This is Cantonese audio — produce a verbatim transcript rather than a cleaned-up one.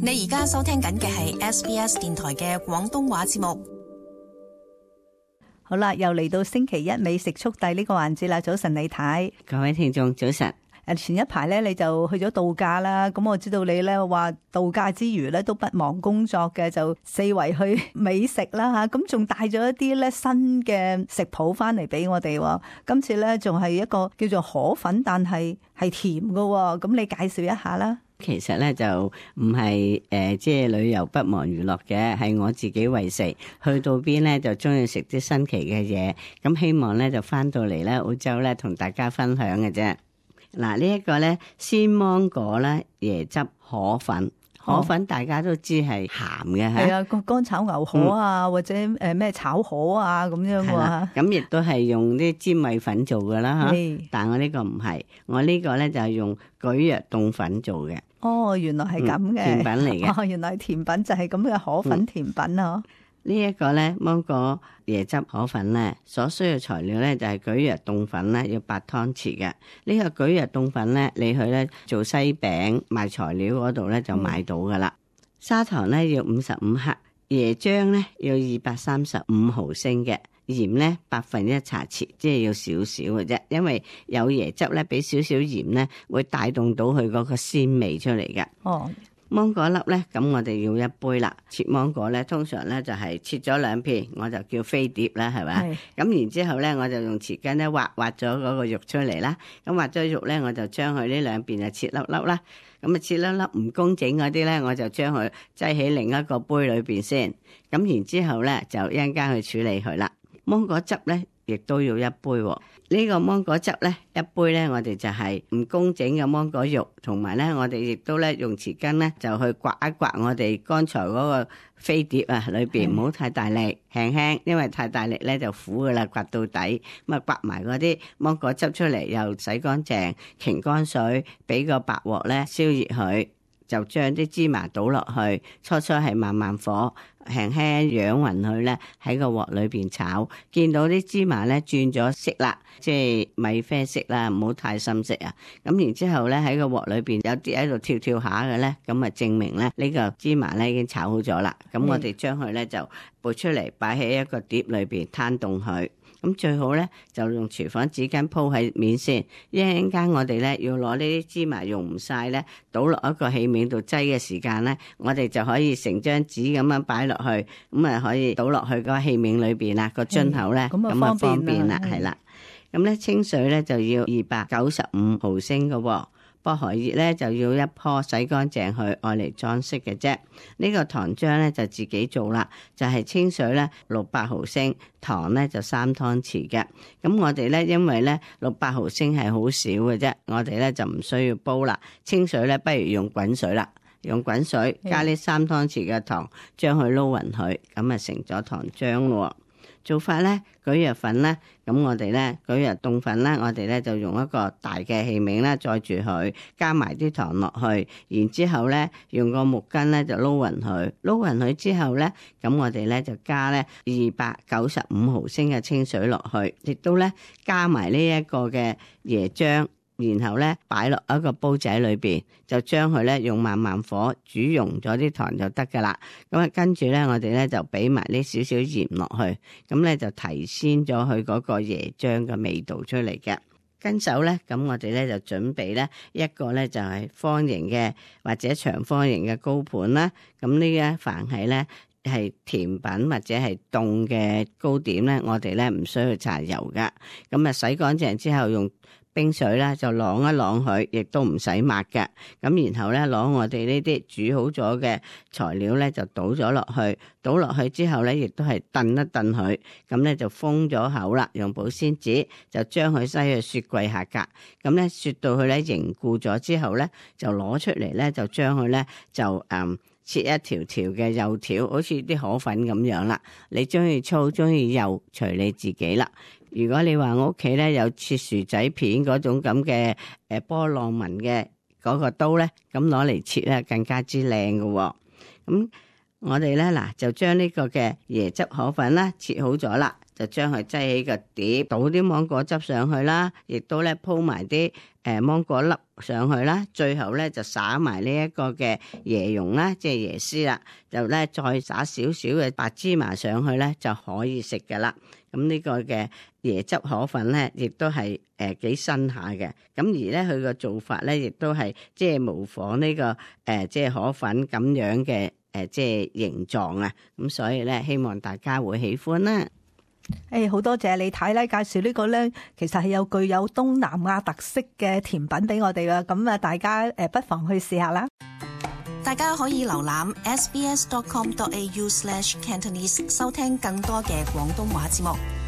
你而家收聽緊嘅係 S B S 電台嘅廣東話節目。好啦，又嚟到星期一美食速遞呢個環節啦。早晨李太，各位聽眾早晨。誒，前一排咧你就去咗度假啦，咁我知道你咧話度假之餘咧都不忘工作嘅，就四圍去美食啦吓，咁仲帶咗一啲咧新嘅食譜翻嚟俾我哋。今次咧仲係一個叫做河粉，但係係甜嘅，咁你介紹一下啦。其實咧就唔係誒，即係旅遊不忘娛樂嘅，係我自己為食。去到邊咧就中意食啲新奇嘅嘢，咁希望咧就翻到嚟咧澳洲咧同大家分享嘅啫。嗱，呢一個咧鮮芒果咧椰汁河粉。河粉大家都知係鹹嘅嚇，係啊，個乾炒牛河啊，嗯、或者誒咩炒河啊咁樣嘅話，咁亦都係用啲粘米粉做嘅啦嚇。但係我呢個唔係，我呢個咧就係用蒟蒻凍粉做嘅。哦，原來係咁嘅甜品嚟嘅。哦，原來甜品就係咁嘅河粉甜品啊！呢一個咧芒果椰汁河粉咧，所需要材料咧就係蒟蒻凍粉咧，要八湯匙嘅。呢個蒟蒻凍粉咧，你去咧做西餅賣材料嗰度咧就買到噶啦。嗯、砂糖咧要五十五克，椰漿咧要二百三十五毫升嘅，鹽咧百分一茶匙，即係要少少嘅啫。因為有椰汁咧，俾少少鹽咧，會帶動到佢嗰個鮮味出嚟嘅。哦。芒果粒咧，咁我哋要一杯啦。切芒果咧，通常咧就係切咗兩片，我就叫飛碟啦，係咪？咁然之後咧，我就用匙羹咧挖挖咗嗰個肉出嚟啦。咁挖咗肉咧，我就將佢呢兩邊就切粒粒啦。咁啊切粒粒唔工整嗰啲咧，我就將佢擠喺另一個杯裏邊先。咁然之後咧，就一陣間去處理佢啦。芒果汁咧，亦都要一杯喎。呢個芒果汁咧，一杯咧，我哋就係唔工整嘅芒果肉，同埋咧，我哋亦都咧用匙羹咧就去刮一刮我哋剛才嗰個飛碟啊裏邊，唔好太大力，輕輕，因為太大力咧就苦噶啦，刮到底。咁啊刮埋嗰啲芒果汁出嚟，又洗乾淨，擎乾水，俾個白鑊咧燒熱佢。就將啲芝麻倒落去，初初係慢慢火，輕輕揚勻佢咧，喺個鑊裏邊炒。見到啲芝麻咧轉咗色啦，即係米啡色啦，唔好太深色啊。咁然之後咧喺個鑊裏邊有啲喺度跳跳下嘅咧，咁啊證明咧呢個芝麻咧已經炒好咗啦。咁我哋將佢咧就撥出嚟，擺喺一個碟裏邊攤凍佢。咁最好咧就用廚房紙巾鋪喺面先，一陣間我哋咧要攞呢啲芝麻用唔晒咧，倒落一個器皿度擠嘅時間咧，我哋就可以成張紙咁樣擺落去，咁啊可以倒落去個器皿裏邊啦，個樽口咧咁啊方便啦，係啦。咁咧清水咧就要二百九十五毫升嘅喎。薄荷葉咧就要一棵洗乾淨去愛嚟裝飾嘅啫。呢個糖漿咧就自己做啦，就係清水咧六百毫升，糖咧就三湯匙嘅。咁我哋咧因為咧六百毫升係好少嘅啫，我哋咧就唔需要煲啦。清水咧不如用滾水啦，用滾水加呢三湯匙嘅糖，將佢撈勻佢，咁啊成咗糖漿咯。做法咧，蒟蒻粉咧，咁我哋咧蒟蒻凍粉咧，我哋咧就用一個大嘅器皿咧載住佢，加埋啲糖落去，然之後咧用個木棍咧就撈勻佢，撈勻佢之後咧，咁我哋咧就加咧二百九十五毫升嘅清水落去，亦都咧加埋呢一個嘅椰漿。然後咧擺落一個煲仔裏邊，就將佢咧用慢慢火煮溶咗啲糖就得噶啦。咁啊跟住咧，我哋咧就俾埋呢少少鹽落去，咁咧就提鮮咗佢嗰個椰漿嘅味道出嚟嘅。跟手咧，咁我哋咧就準備咧一個咧就係方形嘅或者長方形嘅高盤啦。咁呢一凡係咧係甜品或者係凍嘅糕點咧，我哋咧唔需要搽油噶。咁啊洗乾淨之後用冰水咧就晾一晾佢，亦都唔使抹嘅。咁然後咧攞我哋呢啲煮好咗嘅材料咧就倒咗落去，倒落去之後咧亦都係燉一燉佢，咁咧就封咗口啦。用保鮮紙就將佢擠去雪櫃下格，咁咧雪到佢咧凝固咗之後咧就攞出嚟咧就將佢咧就誒、嗯、切一條條嘅幼條，好似啲河粉咁樣啦。你中意粗中意幼隨你自己啦。如果你話我屋企咧有切薯仔片嗰種咁嘅誒波浪紋嘅嗰個刀咧，咁攞嚟切咧更加之靚嘅喎。咁我哋咧嗱就將呢個嘅椰汁河粉啦切好咗啦，就將佢擠起個碟，倒啲芒果汁上去啦，亦都咧鋪埋啲誒芒果粒上去啦，最後咧就灑埋呢一個嘅椰蓉啦，即係椰絲啦，就咧再灑少少嘅白芝麻上去咧就可以食噶啦。咁呢個嘅椰汁河粉咧，亦都係誒幾新下嘅。咁而咧佢個做法咧，亦都係即係模仿呢、這個誒、呃、即係河粉咁樣嘅誒、呃、即係形狀啊。咁所以咧，希望大家會喜歡啦。誒，好多謝李太咧介紹呢個咧，其實係有具有東南亞特色嘅甜品俾我哋噶。咁啊，大家誒不妨去試下啦。大家可以瀏覽 s b s dot com dot a u slash cantonese 收聽更多嘅廣東話節目。